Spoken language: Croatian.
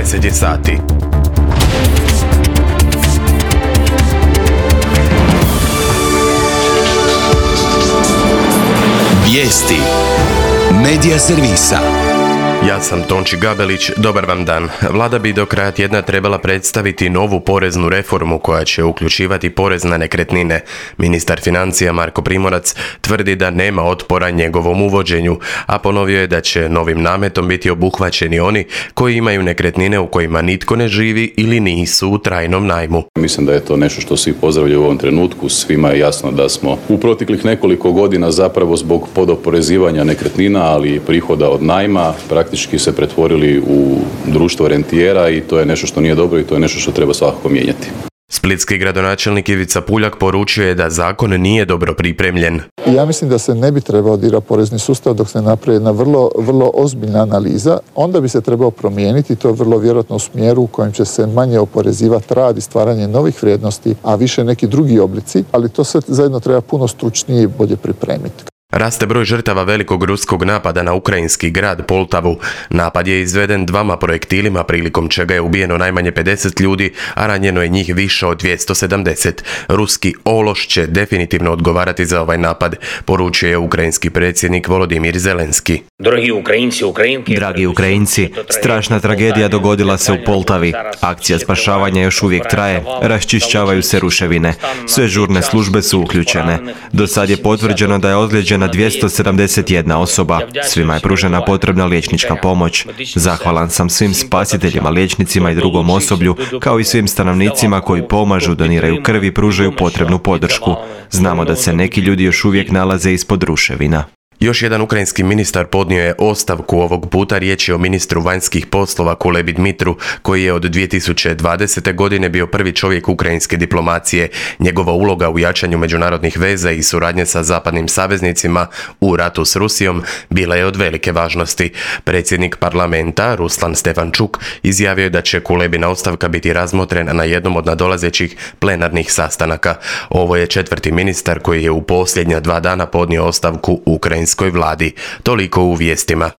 10 je sati. Vijesti Medija servisa. Ja sam Tonči Gabelić, dobar vam dan. Vlada bi do kraja tjedna trebala predstaviti novu poreznu reformu koja će uključivati porez na nekretnine. Ministar financija Marko Primorac tvrdi da nema otpora njegovom uvođenju, a ponovio je da će novim nametom biti obuhvaćeni oni koji imaju nekretnine u kojima nitko ne živi ili nisu u trajnom najmu. Mislim da je to nešto što svi pozdravljaju u ovom trenutku. Svima je jasno da smo u proteklih nekoliko godina zapravo zbog podoporezivanja nekretnina, ali i prihoda od najma praktički se pretvorili u društvo rentijera i to je nešto što nije dobro i to je nešto što treba svakako mijenjati. Splitski gradonačelnik Ivica Puljak poručio je da zakon nije dobro pripremljen. Ja mislim da se ne bi trebao dirati porezni sustav dok se napravi jedna vrlo ozbiljna analiza. Onda bi se trebao promijeniti, to je vrlo vjerojatno u smjeru u kojem će se manje oporezivati rad i stvaranje novih vrijednosti, a više neki drugi oblici, ali to sve zajedno treba puno stručnije i bolje pripremiti. Raste broj žrtava velikog ruskog napada na ukrajinski grad Poltavu. Napad je izveden 2 projektilima prilikom čega je ubijeno najmanje 50 ljudi, a ranjeno je njih više od 270. Ruski ološ će definitivno odgovarati za ovaj napad, poručio je ukrajinski predsjednik Volodimir Zelenski. Dragi Ukrajinci, strašna tragedija dogodila se u Poltavi. Akcija spašavanja još uvijek traje, raščišćavaju se ruševine. Sve žurne službe su uključene. Do sad je potvrđeno da je ozlijeđena 271 osoba. Svima je pružena potrebna liječnička pomoć. Zahvalan sam svim spasiteljima, liječnicima i drugom osoblju, kao i svim stanovnicima koji pomažu, doniraju krv i pružaju potrebnu podršku. Znamo da se neki ljudi još uvijek nalaze ispod ruševina. Još jedan ukrajinski ministar podnio je ostavku, ovog puta riječ je o ministru vanjskih poslova Kulebi Dmitru, koji je od 2020. godine bio prvi čovjek ukrajinske diplomacije. Njegova uloga u jačanju međunarodnih veza i suradnje sa zapadnim saveznicima u ratu s Rusijom bila je od velike važnosti. Predsjednik parlamenta Ruslan Stefančuk izjavio je da će Kulebina ostavka biti razmotrena na jednom od nadolazećih plenarnih sastanaka. Ovo je 4. ministar koji je u posljednja 2 dana podnio ostavku ukrajinskoj vladi. Toliko u vijestima.